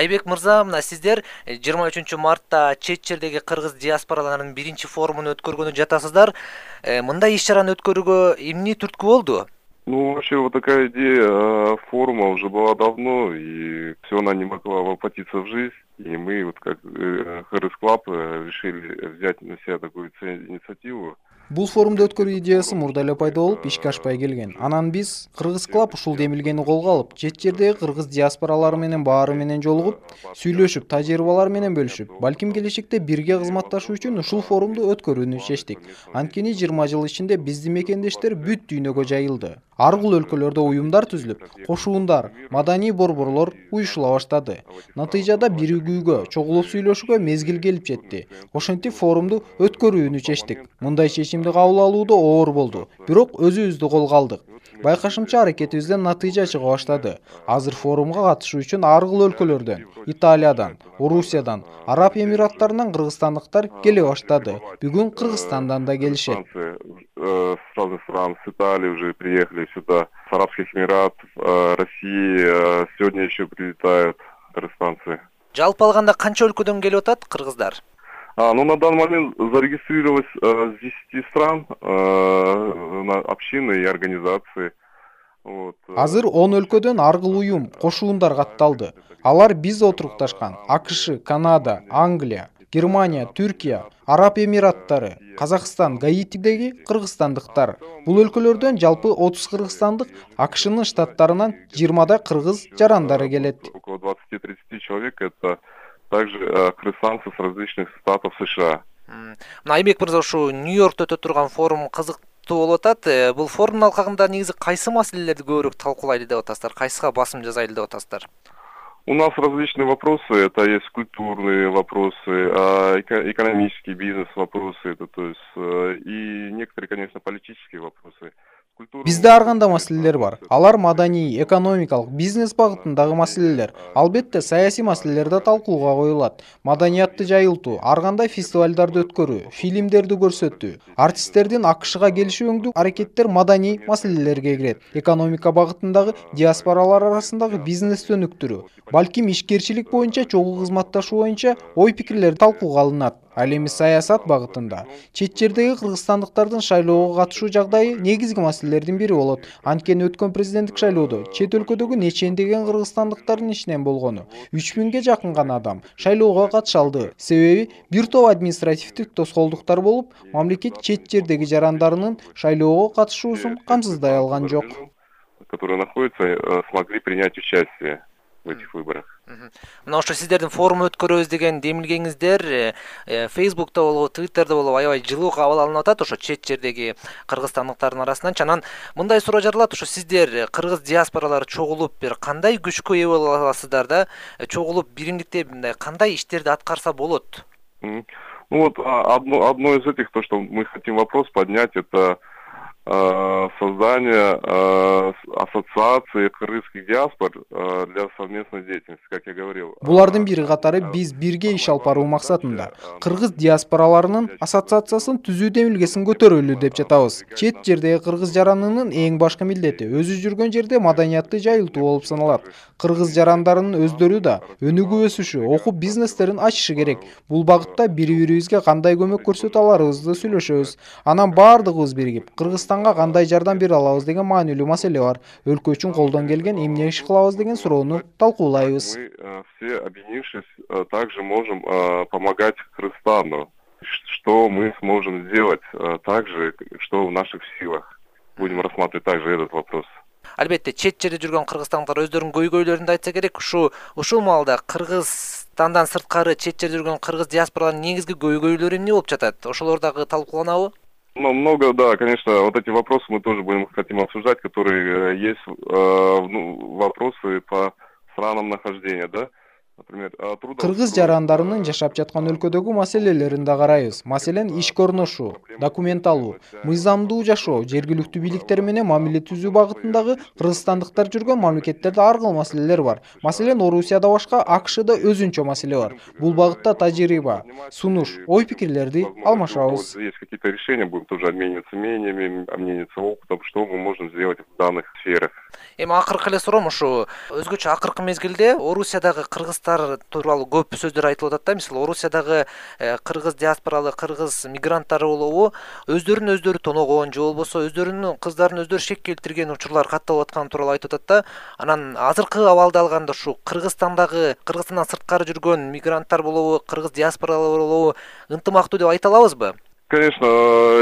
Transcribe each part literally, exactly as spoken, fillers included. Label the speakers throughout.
Speaker 1: Айбек мырза, мына сиздер жыйырма үчүнчү мартта чет жердеги кыргыз диаспораларынын биринчи форумун өткөргөнү жатасыздар. Мындай иш-чараны өткөрүүгө эмне түрткү болду?
Speaker 2: Ну, вообще, вот такая идея форума уже была давно, и все она не могла воплотиться в жизнь. И мы, вот как Кыргыз Клаб, решили взять на себя такую инициативу.
Speaker 3: Бул форумду өткөрүү идеясы мурда эле пайда болуп, ишке ашпай келген. Анан биз Кыргыз Клаб ушул демилгени колго алып, чет жердеги кыргыз диаспоралары менен баары менен жолугуп, сүйлөшүп, тажрыйбалар менен бөлүшүп, балким келечекте бирге кызматташуу үчүн ушул форумду өткөрүүнү чечтик. Анткени жыйырма жыл ичинде биздин мекендештер бүт дүйнөгө жайылды. Ар кыл өлкөлөрдө уюмдар түзүлүп, кошуундар, маданий борборлор уюшула баштады. Натыйжада биригүүгө, чогулуп сүйлөшүүгө мезгил келип жетти. Ошентип форумду өткөрүүнү чечтик. Мындай чечимди кабыл алууда оор болду, бирок өзүбүздү колго алдык. Байкашымча аракетибизден натыйжа чыга баштады. Азыр форумга катышуу үчүн ар кыл өлкөлөрдөн, Италиядан, Орусиядан, Араб Эмираттарынан кыргызстандыктар келе баштады. Бүгүн Кыргызстандан да келишет.
Speaker 2: С разных стран, с Италии уже приехали сюда, с Арабских Эмиратов, России сегодня еще прилетают кыргызстанцы.
Speaker 1: Жалпы алганда канча өлкөдөн келип атат кыргыздар?
Speaker 2: А, ну, на данный момент зарегистрировалось э, с десяти стран э, общины и организации. Вот.
Speaker 3: Азыр он өлкөдөн ар кыл уюм, кошуундар катталды. Алар биз отурукташкан АКШ, Канада, Англия, Германия, Түркия, Араб Эмираттары, Казакстан, Гаитидеги кыргызстандыктар. Бул өлкөлөрдөн жалпы отуз кыргызстандык, АКШнын штаттарынан жыйырмада кыргыз жарандары келет.
Speaker 2: Около двадцати-тридцати человек это также кыргызстанцы с различных штатов США.
Speaker 1: Айбек мырза, ушу Нью-Йоркто өтө турган форум кызыктуу болуп атат. Бул форумдун алкагында негизи кайсы маселелерди көбүрөөк талкуулайлы деп атасыздар? Кайсыга басым жасайлы деп атасыздар?
Speaker 2: У нас различные вопросы, это есть культурные вопросы, экономические бизнес-вопросы, это, то есть, и некоторые, конечно, политические вопросы.
Speaker 3: Бизде ар кандай маселелер бар. Алар маданий, экономикалык, бизнес багытындагы маселелер. Албетте саясий маселелер да талкууга коюлат. Маданиятты жайылтуу, ар кандай фестивалдарды өткөрүү, фильмдерди көрсөтүү, артисттердин АКШга келишүүңдүк аракеттер маданий маселелерге кирет. Экономика багытындагы диаспоралар арасындагы бизнести өнүктүрүү, балким ишкерчилик боюнча чогуу кызматташуу боюнча ой пикирлер талкууга алынат. Ал эми саясат багытында чет жердеги кыргызстандыктардын шайлоого катышуу жагдайы негизги маселелердин бири болот. Анткени өткөн президенттик шайлоодо чет өлкөдөгү нечендеген кыргызстандыктардын ичинен болгону үч миңге жакын гана адам шайлоого катыша алды. Себеби бир топ административдик тоскоолдуктар болуп, мамлекет чет жердеги жарандарынын шайлоого катышуусун камсыздай алган жок.
Speaker 2: Которые находятся, смогли принять участие в этих выборах.
Speaker 1: Мына ошо сиздердин форум өткөрөбүз деген демилгеңиздер Facebook'та болобу, Twitter'да болобу аябай жылуу кабыл алынып атат ошо чет жердеги кыргызстандыктардын арасынан. Анан мындай суроо жаралат, ошо сиздер кыргыз диаспоралары чогулуп бир кандай күчкө ээ боло аласыздар да, чогулуп биримдикте мындай кандай иштерди аткарса болот?
Speaker 2: Ну вот одно, одно из этих, то, что мы хотим вопрос поднять, это создание ассоциации кыргызских диаспор для совместной деятельности, как я говорил.
Speaker 3: Булардын бири катары биз бирге иш алып баруу максатында кыргыз диаспораларынын ассоциациясын түзүү демилгесин көтөрөлү деп жатабыз. Чет жердеги кыргыз жаранынын эң башкы милдети өзү жүргөн жерде маданиятты жайылтуу болуп саналат. Кыргыз жарандарынын өздөрү да өнүгүп өсүшү, окуп бизнестерин ачышы керек. Бул багытта бири-бирибизге кандай көмөк көрсөтө аларыбызды сүйлөшөбүз. Анан баардыгыбыз биригип Кыргызстанга кандай жардам бере алабыз деген маанилүү маселе бар. Өлкө үчүн колдон келген эмне иш кылабыз деген суроону талкуулайбыз.
Speaker 2: Мы все, объединившись, также можем помогать Кыргызстану. Что мы сможем сделать также, что в наших силах. Будем рассматривать также этот вопрос.
Speaker 1: Албетте, чет жерде жүргөн кыргызстандыктар өздөрүнүн көйгөйлөрүн айтса керек. Ушу ушул маалда Кыргызстандан сырткары чет жерде жүргөн кыргыз диаспораларынын негизги көйгөйлөрү эмне болуп жатат? Ошолор дагы талкууланабы?
Speaker 2: Ну, много, да, конечно, вот эти вопросы мы тоже будем хотим обсуждать, которые есть э, ну, вопросы по странам нахождения, да.
Speaker 3: Кыргыз жарандарынын жашап жаткан өлкөдөгү маселелерин да карайбыз. Маселен, иш көрүнүшү, документ алуу, мыйзамдуу жашоо, жергиликтүү бийликтер менен мамиле түзүү багытындагы кыргызстандыктар жүргөн мамлекеттерде ар кыл маселелер бар. Маселен, Орусияда башка, АКШда өзүнчө маселе бар. Бул багытта тажрыйба, сунуш, ой пикирлерди алмашабыз.
Speaker 2: Есть какие-то решения, будем тоже обмениваться мнениями, обмениваться опытом, что мы можем сделать в данных сферах.
Speaker 1: Эми акыркы эле суроом, ушу өзгөчө акыркы мезгилде Орусиядагы кыргыздар тууралуу көп сөздөр айтылып атат да. Мисалы Орусиядагы кыргыз диаспоралык кыргыз мигранттары болобу өздөрүн өздөрү тоногон же болбосо өздөрүнүн кыздарын өздөрү шек келтирген учурлар катталып атканы тууралуу айтып атат да. Анан азыркы абалды алганда ушу Кыргызстандагы, Кыргызстандан сырткары жүргөн мигранттар болобу, кыргыз диаспоралары болобу ынтымактуу деп айта алабызбы?
Speaker 2: Конечно,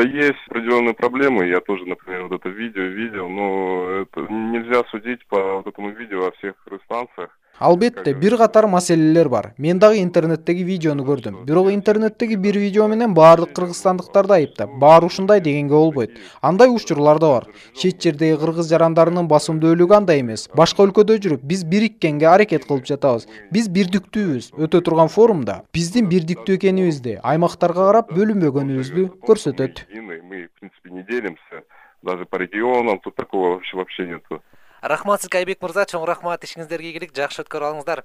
Speaker 2: есть определенные проблемы. Я тоже, например, вот это видео видел, но это нельзя судить по вот этому видео о всех кыргызстанцах.
Speaker 3: Албетте, бир катар маселелер бар. Мен дагы интернеттеги видеону көрдүм. Бирок интернеттеги бир видео менен баардык кыргызстандыктарды айыптап, баары ушундай дегенге болбойт. Андай учурлар да бар. Чет жердеги кыргыз жарандарынын басымдуулугу андай эмес. Башка өлкөдө жүрүп, биз бириkkенге аракет кылып жатабыз. Биз бирдиктүүбүз. Өтө турган форумда биздин бирдиктүү экенибизди, аймактарга карап бөлүнбөгөнүбүздү көрсөтөт.
Speaker 2: Мы, в принципе, не делимся. Даже по регионам тут такого вообще вообще нету.
Speaker 1: Рахмат сизге, Айбек мырза, чоң рахмат, ишиңиздерге ийгилик, жакшы өткөрүп алыңыздар.